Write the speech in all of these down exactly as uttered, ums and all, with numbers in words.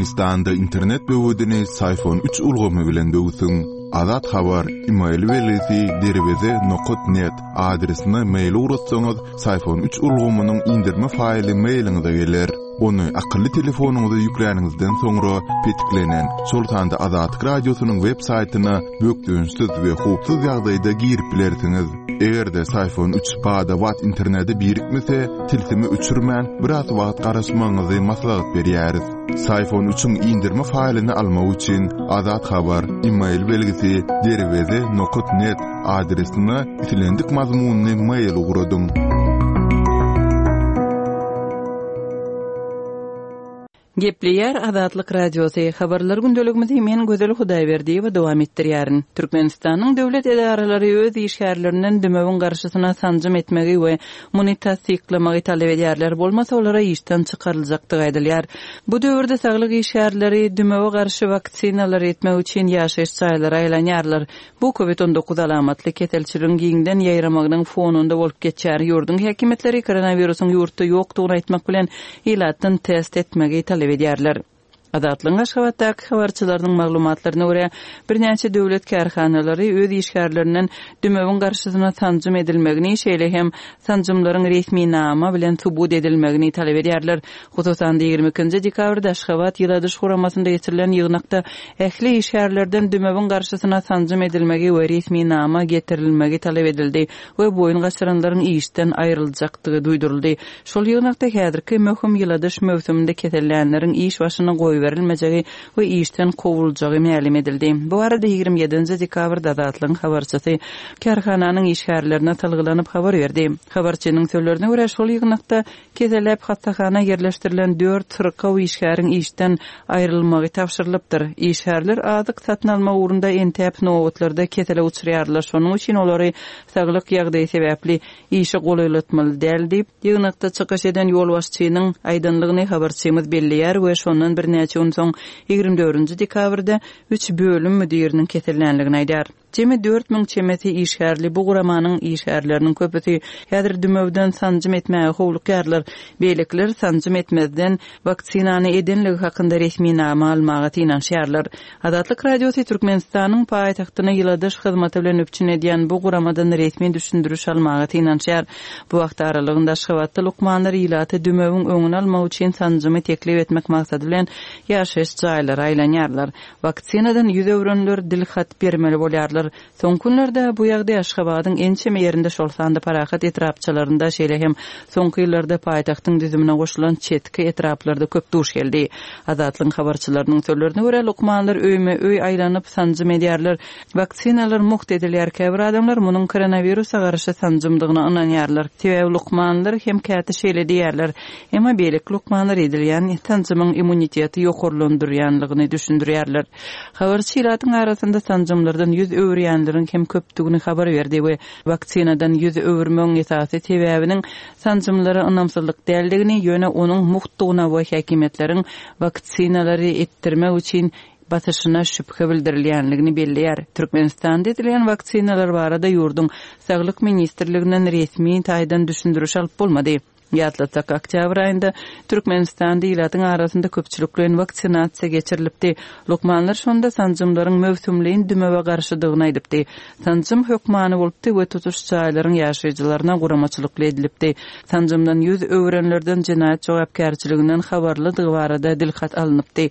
Türkmenistanda internet böwedini Syfon üç ulgamy bilen döwsüň. Azat Habar, e-mail belgisi derweze nokat net adresine mail ugratsaňyz, Syfon üç ulgamynyň indirme faýly mailiňize geler. Ony akylly telefonyňyza ýükläniňizden soňra petiklenen, şol sanda Azatlyk Radiosynyň web saýtyna bökdençsiz we howpsuz ýagdaýda girip bilersiňiz. Eger-de Syfon üç bada-bat internete birikmese, tilsimi öçürmän biraz wagt garaşmagyňyzy maslahat berýäris. Syfon üçiň indirme faýlyny almak üçin Azat Habar, e-mail belgisi derweze nokat net adresine islendik mazmunyny mail ugradyň. Gepleýär Azatlyk Radiosy. Habarlar gündeligimizi men Gözel Hudaýberdiýewa dowam etdirýärin. Türkmenistanyň döwlet edaralary öz işgärlerinden dümewiň garşysyna sanjym etmegi we muny tassyklamagy talap edýärler. Bolmasa olara işden çykaryljakdygy aýdylýar. Bu döwürde saglyk işgärleri dümewe garşy waksinalar etmek üçin ýaşaýyş jaýlara aýlanýarlar. Bu COVID on dokuz alamatly keselçiligiň giňden ýaýramagynyň fonunda bolup geçýär. Ýurduň häkimiýetleri koronawirusyň ýurtda ýokdugyny aýtmak bilen ilatdan test etmegi talap edýärler. Azatlygyň Aşgabatdaky habarçylarynyň maglumatlaryna görä, birnäçe döwlet kärhanalary öz işgärlerinden dümewiň garşysyna sanjym edilmegini, şeýle hem sanjymlaryň resminama bilen subut edilmegini talap edýärler. Hususan ýigrimi ikinji dekabrda Aşgabat Ýyladyş guramasynda geçirilen ýygnakda ähli işgärlerden dümewiň garşysyna sanjym edilmegi we resminama getirilmegi talap edildi we boýun gaçyranlaryň işden aýryljakdygy duýduryldy. Şol ýygnakda häzirki möhüm ýyladyş möwsüminde kesellänleriň iş başyna goýberilmejegi we işden kowuljagy mälim edildi. Bu arada ýigrimi ýedinji dekabrda Azatlygyň habarçysy kärhananyň işgärlerine salgylanyp habar berdi. Habarçynyň sözlerine görä, şol ýygnakda keselläp hassahana ýerleşdirilen dört syrkaw işgäriň işden aýrylmagy tabşyrylypdyr. Işgärler azyk satyn alma ugrunda entäp nobatlarda kesele uçraýarlar. Şonuň üçin olary saglyk ýagdaýy sebäpli işe golaýlatmaly däl diýip, ýygnakda çykyş eden ýolbaşçynyň aýdanlygyny habarçymyz belleýär we şondan birnäçe gün soň ýigrimi dördünji dekabrda üç bölüm müdiriniň kesellänligini aýdar. Jemi dört müň çemesi işgärli bu guramanyň işgärleriniň köpüsi häzir dümewden sanjym etmäge howlukýarlar. Beýlekiler sanjym etmezden waksinany edenligi hakynda resminama almaga synanyşýarlar. Azatlyk Radiosy Türkmenistanyň paýtagtyny ýyladyş hyzmaty bilen üpjün edýän bu guramadan resmi düşündiriş almaga synanyşýar. Bu wagt aralygynda Aşgabatda lukmanlar ilaty dümewiň öňüni almak üçin sanjymy teklip etmek maksady bilen ýaşaýyş jaýlara aýlanýarlar. Waksinadan ýüz öwrenler dil hat bermeli bolýarlar. Soňky günlerde bu ýagdaý Aşgabadyň ençeme ýerinde, şol sanda Parahat etrapçalarynda, şeýle hem soňky ýyllarda paýtagtyň düzümine goşulan çetki etraplarda köp duş geldi. Azatlygyň habarçylarynyň sözlerine görä, lukmanlar öýme öý aýlanyp sanjym edýärler. Waksinalar mugt edilýär. Käbir adamlar munuň koronawirusa garşy sanjymdygyna ynanýarlar. Sebäbi lukmanlar hem käte şeýle diýýärler. Emma beýleki lukmanlar edilýän sanjymyň immuniteti ýokarlandyrýanlygyny düşündirýärler. Habarçy ilatyň arasynda sanjymlardan ýüz öwürýänleriň hem köpdügini habar berdi we waksinadan ýüz öwürmegiň esasy sebäbiniň sanjymlara ynamsyzlyk däldigini, ýöne onuň muhtdugyna we häkimiýetleriň waksinalary etdirmek üçin basyşyna şübhe bildirilýänligini belleýär. Türkmenistanda edilýän waksinalar barada ýurduň Saglyk ministrliginden resmi taýdan düşündiriş alyp bolmady. Ýatlatsak, oktýabr aýynda Türkmenistanda ilatyň arasynda köpçülikleýin waksinasiýa geçirilipdi. Lukmanlar şonda sanjymlaryň möwsümleýin dümewe garşydygyny aýdypdy. Sanjym hökmany bolupdy we tutuş jaýlaryň ýaşaýjylaryna guramaçylykly edilipdi. Sanjymdan ýüz öwrenlerden jenaýat jogapkärçiliginden habarlydygy barada dilhat alnypdy.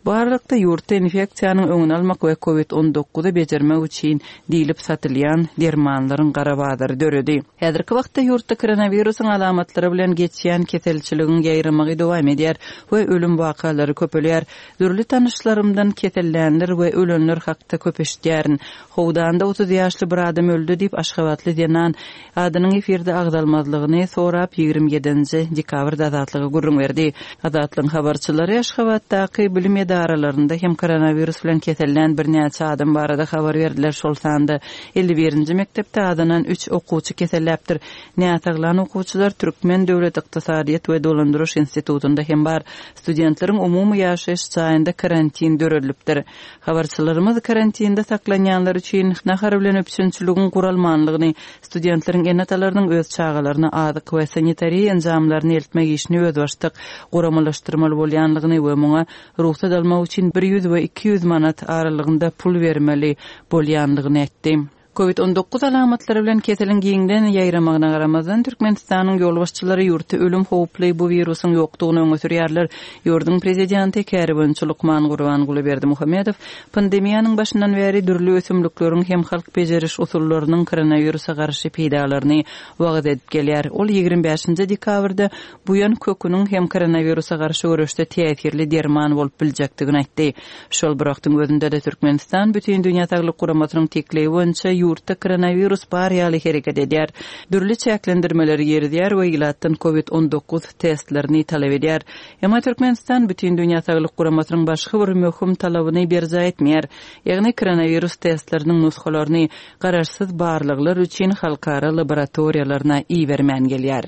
Bu aralykda ýurtda infeksiýanyň öňüni almak we COVID on dokuzy bejermek üçin diýlip satylýan dermanlaryň gara bazary döredi. Häzirki wagtda ýurtda koronawirusyň alamatlary bilen geçýän keselçiligiň ýaýramagy dowam edýär we ölüm wakalary köpelýär. Dürli tanyşlarymdan kesellänler we ölenler hakda köp eşitýärin. Howdanda otuz ýaşly bir adam öldü diýip Aşgabatly zenan adynyň efirde agzalmazlygyny sorap ýigrimi ýedinji dekabrda Azatlyga gürrüň berdi. Azatlygyň habarçylary Aşgabatdaky bilim edaralarynda hem koronawirus bilen kesellän birnäçe adam barada habar berdiler. Şol sanda elli birinji mekdepde adynan üç okuwçy keselläpdir. Näsaglan okuwçylar Türkmen döwlet ykdysadyýet we dolandyryş institutynda hem bar. Studentleriň umumy ýaşaýyş jaýynda karantin döredilipdir. Habarçylarymyz karantinde saklanýanlar üçin nahar bilen üpjünçiligiň guralmanlygyny, studentleriň ene-atalarynyň öz çagalaryna azyk we sanitariýa enjamlaryny eltmek işini özbaşdak guramalaşdyrmaly bolýanlygyny we muňa rugsat almak üçin bir ýüz we iki ýüz manat aralygynda pul bermeli bolýanlygyny aýtdy. Covid on dokuz alamatlary bilen keseliň giňden ýaýramagyna garamazdan Türkmenistanyň ýolbaşçylary ýurtda ölüm howply bu wirusyň ýokdugyny öňe sürýärler. Ýurduň prezidenti Käriwençi Lukman Gurbanguly Berdimuhamedow pandemiýanyň başyndan bäri dürli ösümlikleriň hem halk bejeriş usullarynyň koronawirusa garşy peýdalaryny wagyz edip gelýär. Ol ýigrimi bäşinji dekabrda buýan köküniň hem koronawirusa garşy göreşde täsirli derman bolup biljekdigini aýtdy. Şol bir wagtyň özünde de Türkmenistan Bütün Dünýä Saglyk Guramasynyň teklibi boýunça ýurtda koronawirus bar ýaly hereket edýär. Dürli çäklendirmeleri girizýär we ilatdan Covid on dokuz testlerini talap edýär. Emma Türkmenistan Bütün Dünýä Saglyk Guramasynyň başga bir möhüm talabyny berjaý etmeýär. Ýagny koronawirus testleriniň nusgalaryny garaşsyz barlaglar üçin halkara laboratoriýalaryna ibermän gelýär.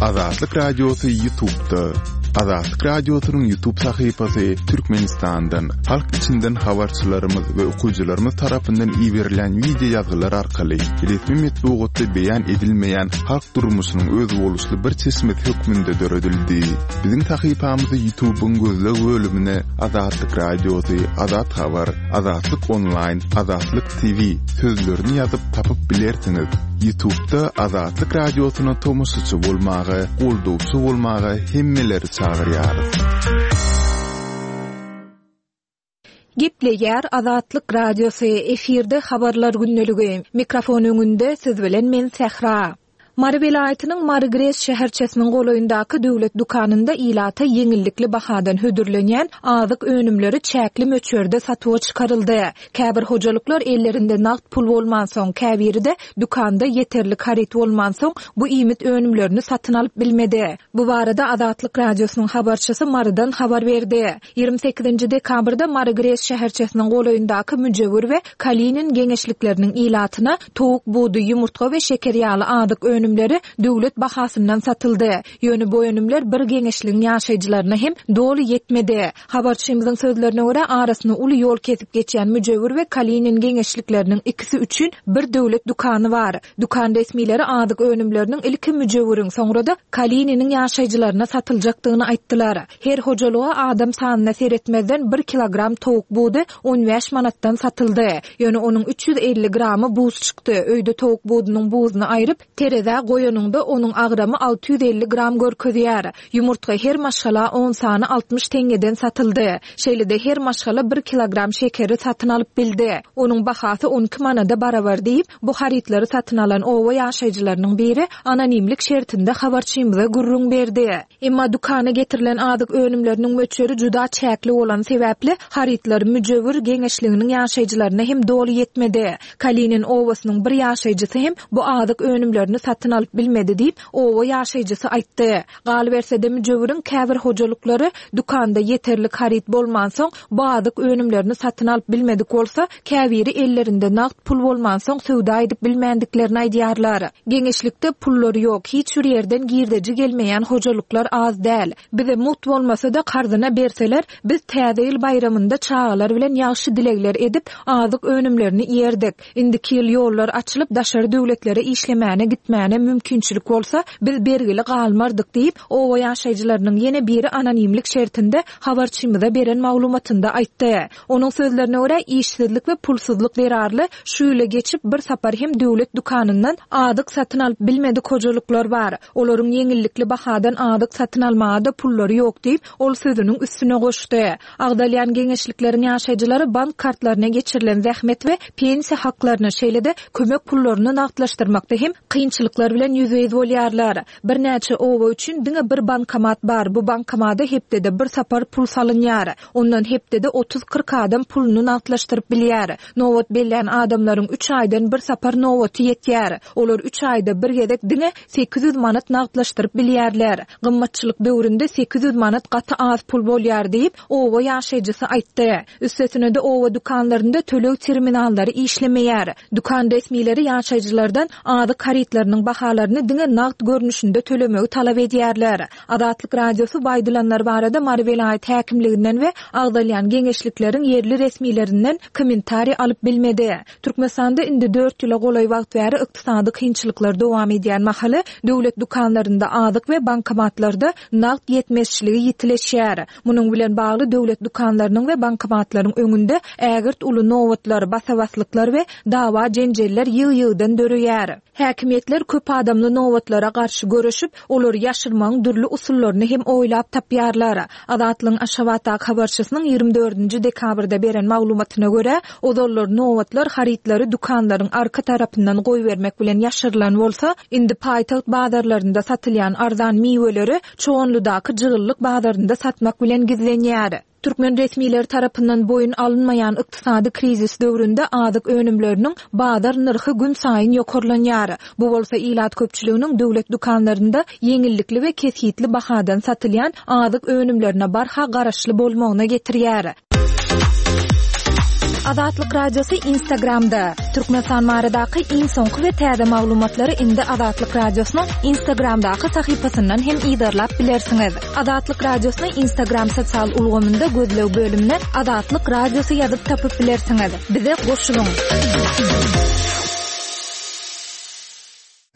Azatlyk Radiosy YouTube'da. Azatlyk Radiosynyň YouTube sahypasy Türkmenistandan, halk içinden habarçylarymyz we okyjylarymyz tarapyndan iberilen video ýazgylar arkaly resmi metbugatda beýan edilmeýän halk durmuşynyň özboluşly bir çeşmesi hökmünde döredildi. Biziň sahypamyzy YouTube'yň gözleg bölümine Azatlyk Radiosy, Azat Habar, Azatlyk Online, Azatlyk T V sözlerini ýazyp tapyp bilersiňiz. YouTube'da Azatlyk Radiosyna tomaşaçy bolmaga, goldawçy bolmaga hemmeleri çagyrýarys. Gepleýär Azatlyk Radiosy, efirde habarlar gündeligi. Mikrofon öňünde siz bilen men Sähra. Mary welaýatynyň Mary Gres şäherçesiniň golaýyndaky döwlet dükanynda ilata ýeňillikli bahadan hödürlenýän azyk önümleri çäkli möçberde satuwa çykaryldy. Käbir hojalyklar ellerinde nagt pul bolmansoň, käbiri-de dükanda ýeterlik haryt bolmansoň bu iýmit önümlerini satyn alyp bilmedi. Bu barada Azatlyk Radiosynyň habarçysy Marydan habar berdi. Ýigrimi sekizinji dekabrda Mary Gres şäherçesiniň golaýyndaky Müjewür we Kalinin geňeşlikleriniň ilatyna towuk budy, ýumurtga we şeker ýaly azyk önümleri döwlet bahasyndan satyldy. Ýöne bu önümler bir geňeşligiň ýaşaýjylaryna hem doly ýetmedi. Habarçymyzyň sözlerine görä arasyny uly ýol kesip geçýän Müjewür we Kalinin geňeşlikleriniň ikisi üçin bir döwlet dükany bar. Dükan resmileri azyk önümleriniň ilki Müjewüriň, soňra da Kalininiň ýaşaýjylaryna satyljakdygyny aýtdylar. Her hojalyga adam sanyna seretmezden bir kilogram towuk budy on bäş manatdan satyldy. Ýöne onuň üç ýüz elli gramy buz çykdy. Öýde towuk budunyň buzuny aýryp, terezä goýanyňda onuň agramy alty ýüz elli gram görkezýär. Ýumurtga her maşgala on sany altmyş teňňeden satyldy. Şeýle-de her maşgala bir kilogram şekeri satyn alyp bildi. Onuň bahasy on iki manada barabar diýip, bu harytlary satyn alan owa ýaşaýjylarynyň biri anonimlik şertinde habarçymyza gürrüň berdi. Emma dükana getirilen azyk önümleriniň möçberi juda çäkli bolan sebäpli harytlar Müjewür geňeşliginiň ýaşaýjylaryna hem doly ýetmedi. Kalinin owasynyň bir ýaşaýjysy hem bu azyk önümlerini satyn alyp bilmedi diýip, owa ýaşaýjysy aýtdy. Galyberse-de Müjewüriň käbir hojalyklary dükanda ýeterlik haryt bolmansoň bu azyk önümlerini satyn alyp bilmedik bolsa, käbiri ellerinde nagt pul bolmansoň söwda edip bilmändiklerini aýdýarlar. Geňeşlikde pullary ýok, hiç bir ýerden girdeji gelmeýän hojalyklar az däl. Bize mugt bolmasa da karzyna berseler, biz täze ýyl baýramynda çagalar bilen ýagşy dilegler edip azyk önümlerini ýerdik. Indiki ýyl ýollar açylyp daşary döwletlere işlemäne gitmäne mümkinçilik bolsa, biz bergili galmardyk diýip, owa ýaşaýjylarynyň ýene biri anonimlik şertinde habarçymyza beren maglumatynda aýtdy. Onuň sözlerine görä işsizlik we pulsuzlyk zerarly şu ýyla geçip bir sapar hem döwlet dükanyndan azyk satyn alyp bilmedik hojalyklar bar. Olaryň ýeňillikli bahadan azyk satyn almaga da pullary ýok diýip, ol sözüniň üstüne goşdy. Agdalýan geňeşlikleriň ýaşaýjylary bank kartlaryna geçirilen zähmet we pensiýa haklaryny, şeýle-de kömek pullaryny nagtlaşdyrmakda hem kynçylyklar Kynçylyklar bilen ýüzbe-ýüz bolýarlar. Birnäçe oba üçin diňe bir bankomat bar. Bu bankomada hepdede bir sapar pul salynýar. Ondan hepdede otuz-kyrk adam puluny nagtlaşdyryp bilýär. Nobat bellän adamlaryň üç aýdan bir sapar nobaty ýetýär. Olar üç aýda bir gezek diňe sekiz ýüz manat nagtlaşdyryp bilýärler. Gymmatçylyk döwründe sekiz ýüz manat gaty az pul bolýar diýip, oba ýaşaýjysy aýtdy. Üstesine-de oba dükanlarynda töleg terminallary işlemeýär. Dükan resmileri ýaşaýjylardan azyk harytlarynyň bahalaryny diňe nagt görnüşinde tölemegi talap edýärler. Azatlyk Radiosy bu aýdylanlar barada Mary welaýat häkimliginden we agzalýan geňeşlikleriň ýerli resmilerinden kommentariý alyp bilmedi. Türkmenistanda indi dört ýyla golaý wagt bäri ykdysady kynçylyklar dowam edýän mahaly döwlet dükanlarynda azyk we bankomatlarda nagt ýetmezçiligi ýitileşýär. Munuň bilen bagly döwlet dükanlarynyň we bankomatlaryň öňünde ägirt uly nobatlar, basabaslyklar we dawa jenjeller ýygy-ýygydan döreýär. Häkimiýetler köp adamly nobatlara garşy göreşip, olary ýaşyrmagyň dürli usullaryny hem oýlap tapýarlar. Azatlygyň Aşgabatdaky habarçysynyň ýigrimi dördünji dekabrda beren maglumatyna görä, ozallar nobatlar harytlary dükanlaryň arka tarapyndan goýbermek bilen ýaşyrylan bolsa, indi paýtagt bazarlarynda satylýan arzan miweleri Çoganlydaky jygyllyk bazarynda satmak bilen gizlenýär. Türkmen resmileri tarapyndan boýun alynmaýan ykdysady krizis döwründe azyk önümleriniň bazar nyrhy gün saýyn ýokarlanýar. Bu bolsa ilat köpçüliginiň döwlet dükanlarynda ýeňillikli we kesgitli bahadan satylýan azyk önümlerine barha garaşly bolmagyna getirýär. Azatlyk Radiosy Instagramda. Türkmenistan baradaky iň soňky we täze maglumatlary indi Azatlyk Radiosynyň Instagramdaky sahypasyndan hem yzarlap bilersiňiz. Azatlyk Radiosyny Instagram sosial ulgamynda gözleg bölümine Azatlyk Radiosy ýazyp tapyp bilersiňiz. Bize goşulyň.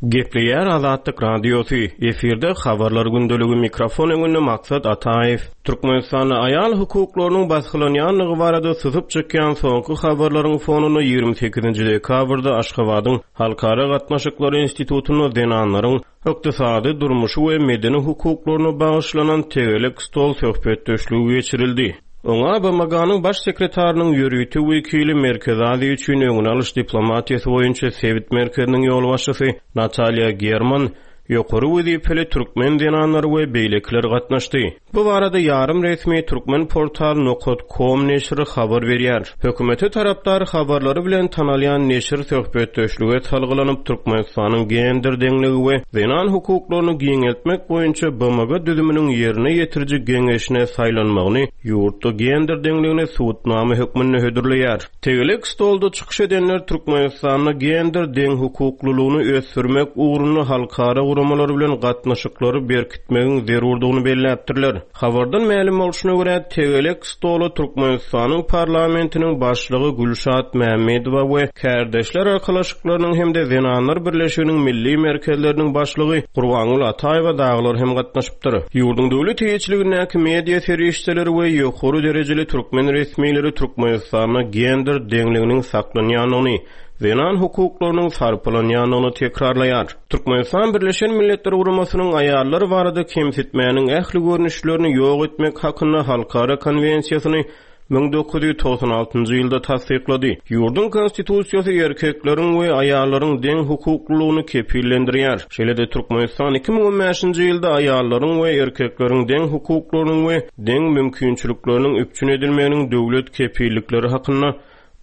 Gepleýär Azatlyk Radiosy. Efirde habarlar gündeligi, mikrofon öňünde Maksat Ataýew. Türkmenistanda aýal hukuklarynyň basgylanýanlygy barada syzyp çykýan soňky habarlaryň fonunda ýigrimi sekizinji dekabrda Aşgabadyň Halkara Gatnaşyklary Institutynda zenanlaryň ykdysady, durmuşy we medeni hukuklaryna bagyşlanan tegelek stol söhbetdeşligi geçirildi. Oňa B M G-nyň baş sekretarynyň ýörite wekili Merkezi Aziýa üçin öňüni alyş diplomatiýasy boýunça sebit merkeziniň ýolbaşçysy Natalýa German, ýokary wezipeli türkmen zenanlary we beýlekiler gatnaşdy. Bu barada ýarym resmi Türkmen portal nokat com neşiri habar berýär. Hökümete tarapdar habarlary bilen tanalýan neşir söhbetdeşlige salgylanyp Türkmenistanyň gender deňligi we zenan hukuklaryny giňeltmek boýunça B M G düzüminiň ýerine ýetiriji geňeşine saýlanmagyny ýurtda gender deňligini subutnama hökmünde hödürleýär. Tegelek stolda çykyş edenler Türkmenistanda gender deň hukuklylygyny ösdürmek ugrunda halkara guramalary bilen gatnaşyklary berkitmegiň zerurdygyny belläpdirler. Habardan mälim bolşuna görä, tegelek stola Türkmenistanyň parlamentiniň başlygy Gülşat Mämmedowa we Kärdeşler Arkalaşyklarynyň hem-de Zenanlar Birleşiginiň milli merkezleriniň başlygy Gurbangül Ataýewa daglar hem gatnaşypdyr. Ýurduň döwlet eýeçiligindäki media serişdeleri we ýokary derejeli türkmen resmileri Türkmenistanda gender deňliginiň saklanýandygyny, zenan hukuklarynyň sarpalanýandygyny tekrarlaýar. Türkmenistan Birleşen Milletler Guramasynyň aýallar barada kemsitmäniň ähli görnüşlerini ýok etmek hakynda halkara konwensiýasyny müň dokuz ýüz togsan altynjy ýylda tassyklady. Ýurduň konstitusiýasy erkekleriň we aýallaryň deň hukuklylygyny kepillendirýär. Şeýle-de Türkmenistan iki müň on bäşinji ýylda aýallaryň we erkekleriň deň hukuklarynyň we deň mümkinçilikleriniň üpjün edilmeginiň döwlet kepillikleri hakynda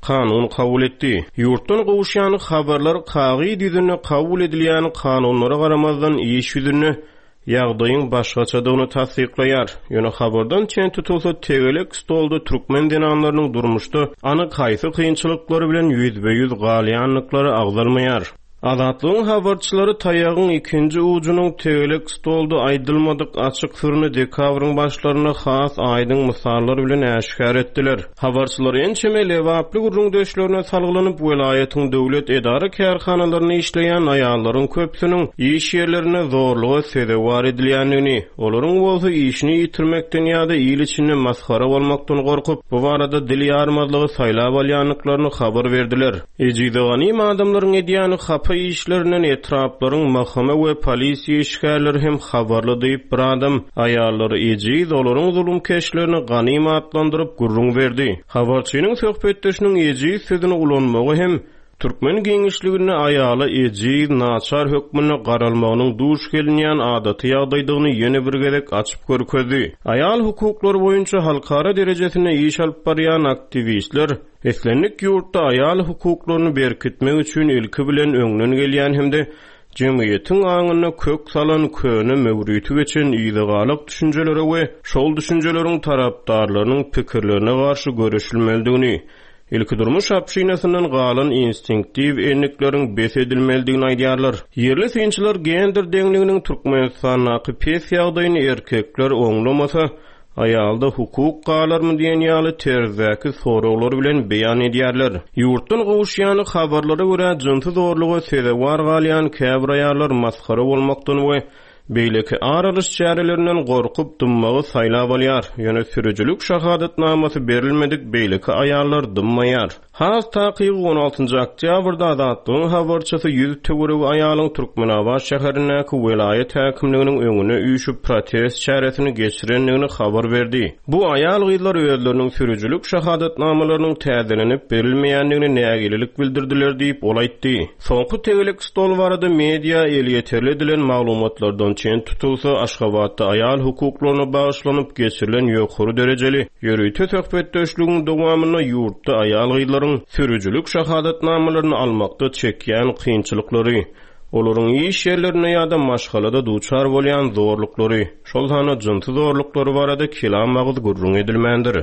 kanun kabul etdi. Ýurtdan gowuşýan habarlar kagyz ýüzünde kabul edilýän kanunlara garamazdan iş ýüzünde ýagdaýyň başgaçadygyny tassyklaýar. Ýöne habardan çen tutulsa tegelek stolda türkmen zenanlarynyň durmuşda anyk haýsy kynçylyklary bilen ýüzbe-ýüz galýandyklary agzalmaýar. Azatlygyň habarçylary taýagyň ikinji ujunyň tegelek stolda aýdylmadyk açyk syryny dekabryň başlarynda has aýdyň mysallar bilen äşgär etdiler. Habarçylar ençeme lebaply gürrüňdeşlerine salgylanyp welaýatyň döwlet edara kärhanalarynda işleýän aýallaryň köpüsiniň iş ýerlerine zorluga sezewar edilýändigini, olaryň bolsa işini ýitirmekden ýa-da il içinde masgara bolmakdan gorkup, bu barada dil ýarmazlygy saýlap alýandyklaryny habar berdiler. Ejize ganym adamlaryň edýän hapa işlerinden etraplaryň mahkama we polisiýa işgärleri hem habarly diýip bir adam aýallary ejiz olaryň zulum keşlerini ganym atlandyryp gürrüň berdi. Habarçynyň söhbetdeşiniň ejiz sözüni ulanmagy hem Türkmen giňişliginde aýala ejiz, naçar hökmünde garalmagynyň duş gelinýän adaty ýagdaýdygyny ýene bir gezek açyp görkezdi. Aýal hukuklary boýunça halkara derejesinde iş alyp barýan aktiwistler islendik ýurtda aýal hukuklaryny berkitmek üçin ilki bilen öňden gelýän hem-de jemgyýetiň aňyna kök salan köne möwriti geçen ýygalyk düşünjelere we şol düşünjeleriň tarapdarlarynyň pikirlerine garşy görüşilmelidigini, ilki durmuş apşinasyndan galan instinktiw endikleriň bes edilmelidigini aýdýarlar. Ýerli synçylar gender deňliginiň Türkmenistandaky pes ýagdaýyny erkekler oňlamasa, aýalda hukuk galarmy diýen ýaly terzdäki soraglar bilen beýan edýärler. Ýurtdan gowuşýan habarlara görä jynsy zorluga sezewar galýan käbir aýallar masgara bolmakdan we beýleki ar alyş çärelerinden gorkup dymmagy saýlap alýar. Ýöne sürüjilik şahadatnamasy berilmedik beýleki aýallar dymmaýar. Has takygy on altynjy oktýabrda Azatlygyň habarçysy ýüz töweregi aýalyň Türkmenabat şäherindäki welaýat häkimliginiň öňüne üýşüp protest çäresini geçirendigini habar berdi. Bu aýal gyzlar özleriniň sürüjilik şahadatnamalarynyň täzelenip berilmeýändigini nägilelik bildirdiler diýip ol aýtdy. Soňky tegelek stol barada media elýeterli edilen maglumatlardan çen tutulsa, Aşgabatda aýal hukuklaryna bagyşlanyp geçirilen ýokary derejeli ýörite söhbetdeşligiň dowamynda ýurtda aýal gyzlaryň sürüjilik şahadatnamalaryny almakda çekýän kynçylyklary, olaryň iş ýerlerinde ýa-da maşgalada duçar bolýan zorluklary, şol sanda jynsy zorluklary barada kelam agyz gürrüň edilmändir.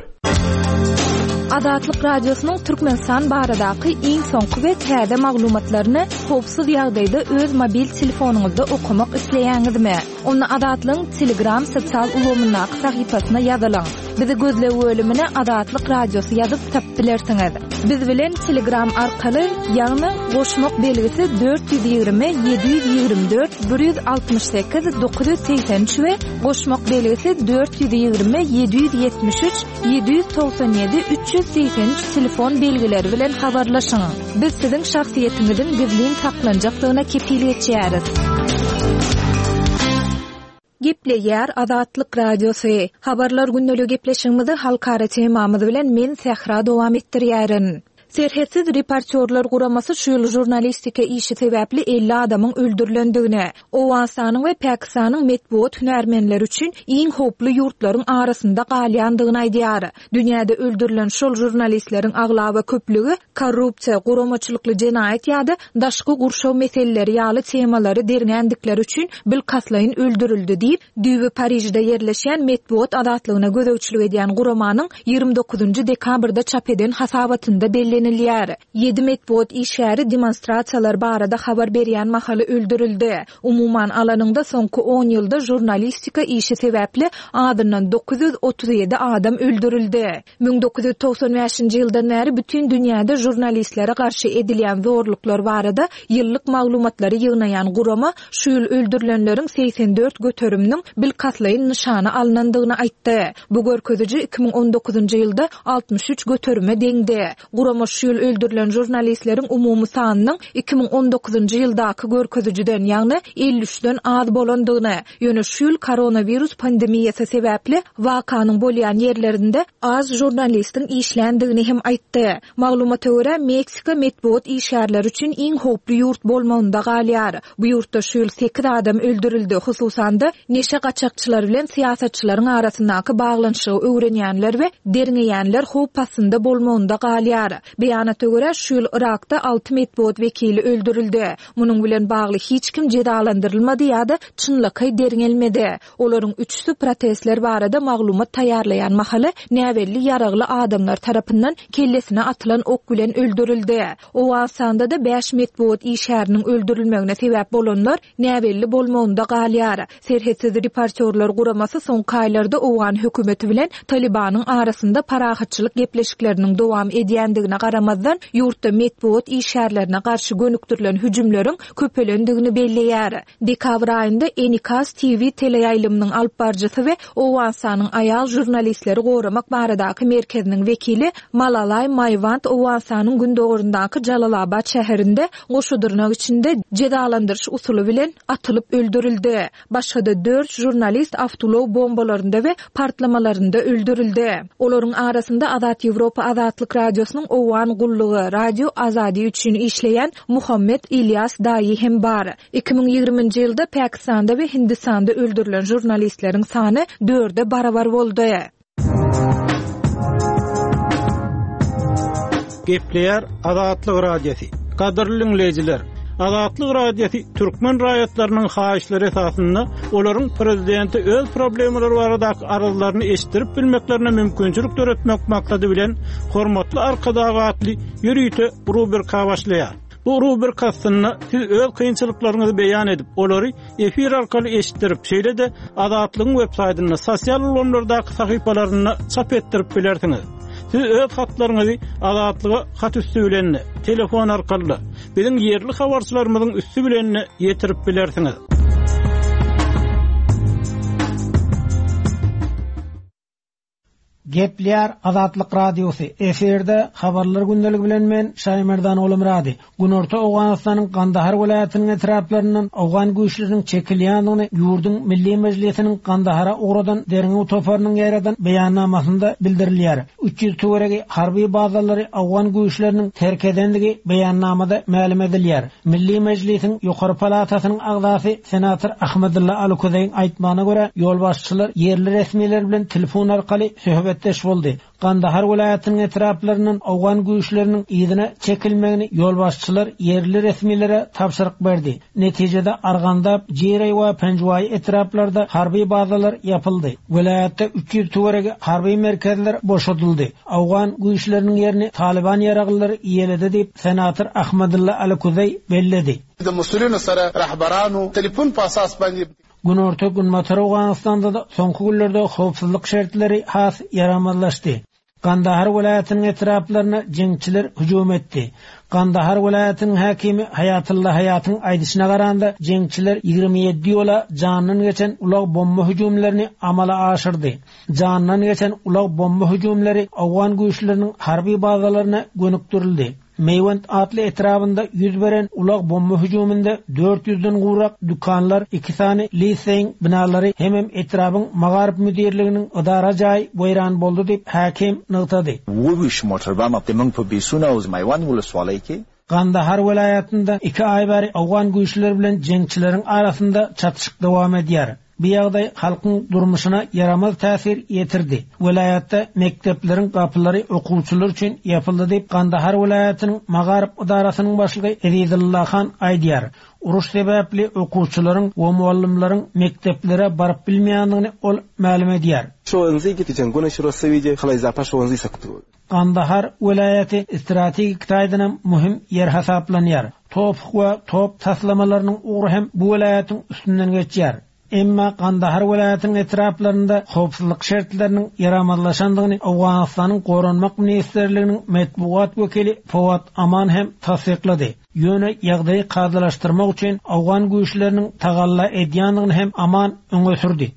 Azatlyk Radiosynyň Türkmenistan baradaky iň soňky we täze maglumatlaryny howpsuz ýagdaýda öz mobil telefonyňyzda okamak isleýäňizmi? Onda Azatlygyň Telegram sosial ulgamyndaky sahypasyna ýazylyň. Bizi gözleg bölümine Azatlyk Radiosy ýazyp tapyp bilersiňiz. Biz bilen Telegram arkaly, ýagny goşmak belgisi dört ýüz ýigrimi ýedi ýüz ýigrimi dört bir ýüz altmyş sekiz dokuz ýüz segsen üç we goşmak belgisi dört ýüz ýigrimi ýedi ýüz ýetmiş üç ýedi ýüz togsan ýedi üç ýüz segsen üç telefon belgileri bilen habarlaşyň. Biz siziň şahsyýetiňiziň gizlin saklanjakdygyna kepil geçýäris. Gepleýär Azatlyk Radiosy. Habarlar gündelik gepleşigimizi halkara temamyz bilen men Sähra dowam etdirýärin. Serhetsiz reportýorlar guramasy şu ýyl žurnalistika işi sebäpli elli adamyň öldürilendigini, Owganystanyň we Pakistanyň metbugat hünärmenleri üçin iň howply ýurtlaryň arasynda galýandygyny aýdýar. Dünýäde öldürilen şol žurnalistleriň aglaba köplügi korrupsiýa, guramaçylykly jenaýat ýa-da daşky gurşaw meseleleri ýaly temalary derňändikleri üçin bilkastlaýyn öldürildi diýip, düýbi Parižde ýerleşýän metbugat azatlygyna gözegçilik edýän guramanyň ýigrimi dokuzynjy dekabrda çap eden hasabatynda bellenilýär. Ýedi metbugat işgäri demonstrasiýalar barada habar berýän mahaly öldürildi. Umuman alanyňda soňky on ýylda žurnalistika işi sebäpli adyndan dokuz ýüz otuz ýedi adam öldürildi. Müň dokuz ýüz togsan bäşinji ýyldan bäri bütün dünýäde žurnalistlere garşy edilýän zorluklar barada ýyllyk maglumatlary ýygnaýan gurama şu ýyl öldürilenleriň segsen dört göteriminiň bilkastlaýyn nyşana alynandygyny aýtdy. Bu görkeziji iki müň on dokuzynjy ýylda altmyş üç göterime deňdi. Gurama şu ýyl öldürilen žurnalistleriň umumy sanynyň iki müň on dokuzynjy ýyldaky görkezijiden, ýagny elli üçden az bolandygyny, ýöne şu ýyl koronawirus pandemiýasy sebäpli wakanyň bolýan ýerlerinde az žurnalistiň işländigini hem aýtdy. Maglumata görä, Meksika metbugat işgärleri üçin iň howply ýurt bolmagynda galýar. Bu ýurtda şu ýyl sekiz adam öldürildi, hususan-da neşe gaçakçylar bilen syýasatçylaryň arasyndaky baglanyşygy öwrenýänler we derňeýänler howp astynda bolmagynda galýar. Beýanata görä, şu ýyl Irakda alty metbugat wekili öldürildi. Munuň bilen bagly hiç kim jezalandyrylmady ýa-da çynlakaý derňelmedi. Olaryň üçüsi protestler barada maglumat taýýarlaýan mahaly näbelli ýaragly adamlar tarapyndan kellesine atylan ok bilen öldürildi. Owganystanda da bäş metbugat işgäriniň öldürilmegine sebäp bolanlar näbelli bolmagynda galýar. Serhetsiz reportýorlar guramasy soňky aýlarda Owgan hökümeti bilen Talibanyň arasynda parahatçylyk gepleşikleriniň dowam edýändigine garamazdan ýurtda metbugat işgärlerine garşy gönükdirilen hüjümleriň köpelendigini belleýär. Dekabr aýynda Enikas T V teleýaýlymynyň alyp baryjysy we Owganystanyň aýal žurnalistleri goramak baradaky merkeziniň wekili Malalay Maýwand Owganystanyň gündoguryndaky Jalalabad şäherinde goşudyrnak içinde jezalandyryş usuly bilen atylyp öldürildi. Başga-da dört žurnalist awtoulag bombalarynda we partlamalarynda öldürildi. Olaryň arasynda Azat Ýewropa Azatlyk Radiosynyň Owgan Owgan gullugy Radio Azadi üçin işleýän Muhammet Ilýas Daýy hem bar. Iki müň ýigriminji ýylda Pakistanda we Hindistanda öldürilen žurnalistleriň sany dörde barabar boldy. Gepleýär Azatlyk Radiosy. Gadyrly dinleýjiler, Azatlyk Radiosy türkmen raýatlarynyň haýyşlary esasynda olaryň prezidenti öz problemalary baradaky arzlaryny eşitdirip bilmeklerine mümkinçilik döretmek maksady bilen Hormatly Arkadag atly ýörite rubrika başlaýar. Bu rubrika aslynda siz öz kynçylyklaryňyzy beýan edip, olary efir arkaly eşitdirip, şeýle-de Azatlygyň web saýtynda, sosial ulgamlardaky sahypalarynda çap etdirip bilersiňiz. Siz öz hatlaryňyzy Azatlyga hat üstü bilen, telefon arkaly, biziň ýerli habarçylarymyzyň üstü bilen ýetirip bilersiňiz. Gepleýär Azatlyk Radiosy. Efirde habarlar gündeligi bilen men Şaýmerdan Oglumyrady. Günorta Owganystanyň Gandahar welaýatynyň etraplaryndan Owgan güýçleriniň çekilýändigini ýurduň Milli Mejlisiniň Gandahara ugradan derňew toparynyň ýaradan beýannamasynda bildirilýär. Üç ýüz töweregi harby bazalary Owgan güýçleriniň terk edendigi beýannamada mälim edilýär. Milli Mejlisiň Ýokary Palatasynyň agzasy senator Ahmedulla Alukuzeýiň aýtmagyna görä, ýolbaşçylar ýerli resmiler bilen telefon arkaly söhbetdeş boldy. Gandahar welaýatynyň etraplaryndan Owgan güýçleriniň yzyna çekilmegini ýolbaşçylar ýerli resmilere tabşyryk berdi. Netijede Argandap, Jireý we Penjwaý etraplarda harby bazalar ýapyldy. Welaýatda üç ýüz töweregi harby merkezler boşadyldy. Owgan güýçleriniň ýerini Taliban ýaraglylary iýeledi diýip senator Ahmedulla Alukuzeý belledi. د مسؤلینو سره رهبرانو telefon په اساس باندې Günorta Günbatar Owganystanda da soňky günlerde howpsuzlyk şertleri has ýaramazlaşdy. Gandahar welaýatynyň etraplaryna jeňçiler hüjüm etdi. Gandahar welaýatynyň häkimi Haýatylla Haýatyň aýdyşyna garanda jeňçiler ýigrimi ýedi ýola jandan geçen ulag bomba hüjümlerini amala aşyrdy. Jandan geçen ulag bomba hüjümleri Owgan güýçleriniň harby bazalaryna gönükdirildi. Meywend atly etrabynda ýüz beren ulag bomba hüjüminde dört ýüzden gowrak dükanlar, iki sany liseýiň binalary hemem etrabyň Magaryp müdirliginiň idara jaýy weýran boldy diýip häkim nygtady. Gandahar welaýatynda iki aý bäri Owgan güýçleri bilen jeňçileriň arasynda çatyşyk dowam edýär. Bu ýagdaý halkyň durmuşyna ýaramaz täsir ýetirdi. Welaýatda mekdepleriň gapylary okuwçylar üçin ýapyldy diýip Gandahar welaýatynyň Magaryp idarasynyň başlygy Ezizulla Han aýdýar. Uruş sebäpli okuwçylaryň we muallimleriň mekdeplere baryp bilmeýändigini ol mälim edýär. Gandahar welaýaty strategik taýdan möhüm ýer hasaplanýar. Top we top taslamalarynyň ugry hem bu welaýatyň üstünden geçýär. Emma Gandahar welaýatynyň etraplarynda howpsuzlyk şertleriniň ýaramazlaşandygyny Owganystanyň Goranmak Ministrliginiň metbugat wekili Fawad Aman hem tassyklady. Ýöne ýagdaýy kadalaşdyrmak üçin Owgan güýçleriniň tagalla edýändigini hem Aman öňe sürdi.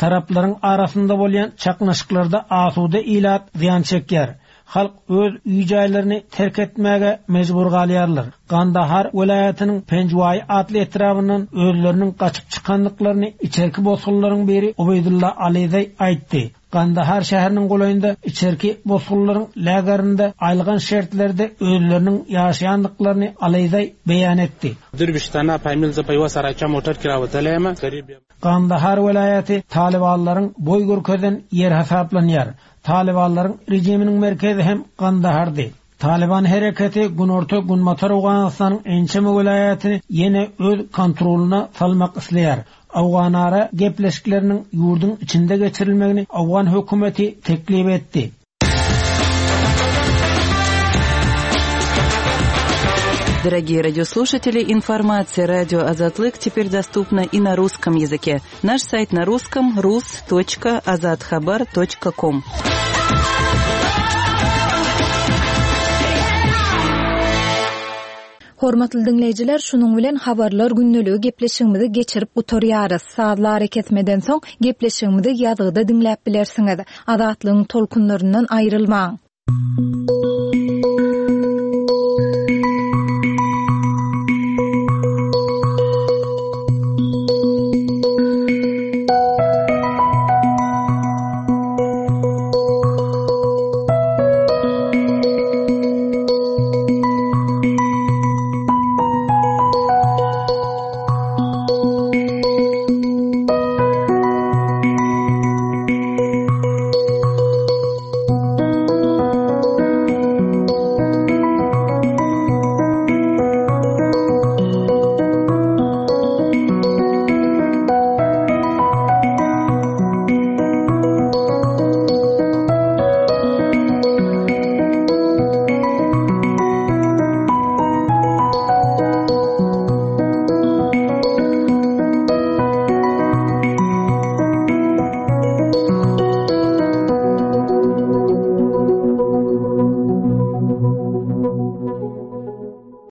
Taraplaryň arasynda bolýan çaknyşyklarda asuda ilat zyýan çekýär. Halk öz öý jaýlaryny terk etmäge mejbur galýarlar. Gandahar welaýatynyň Penjwaý atly etrabyndan özleriniň gaçyp çykandyklaryny içerki bosgunlaryň biri Ubeýdulla Alizeý aýtdy. Gandahar şäheriniň golaýynda içerki bosgunlaryň lagerinde aýylgan şertlerde özleriniň ýaşaýandyklaryny Alizeý beýan etdi. Gandahar welaýaty Talibanlaryň boý görkezen ýer hasaplanýar. Talibanlaryň rejiminiň merkezi hem Gandahardy. Taliban hereketi Günorta Günbatar Owganystanyň ençeme welaýatyny ýene öz kontrolyna salmak isleýär. Owganara gepleşikleriniň ýurduň içinde geçirilmegini Owgan hökümeti teklip etdi. Дорогие радиослушатели, информация радио Азатлык теперь доступна и на русском языке. Наш сайт на русском рус точка азатхабар точка ком. Hormatly dinleýjiler, şunuň bilen habarlar gündeligi gepleşigimizi geçirip gutarýarys. Sazlary kesmeden soň gepleşigimizi ýazgyda diňläp bilersiňiz. Azatlygyň tolkunlaryndan aýrylmaň.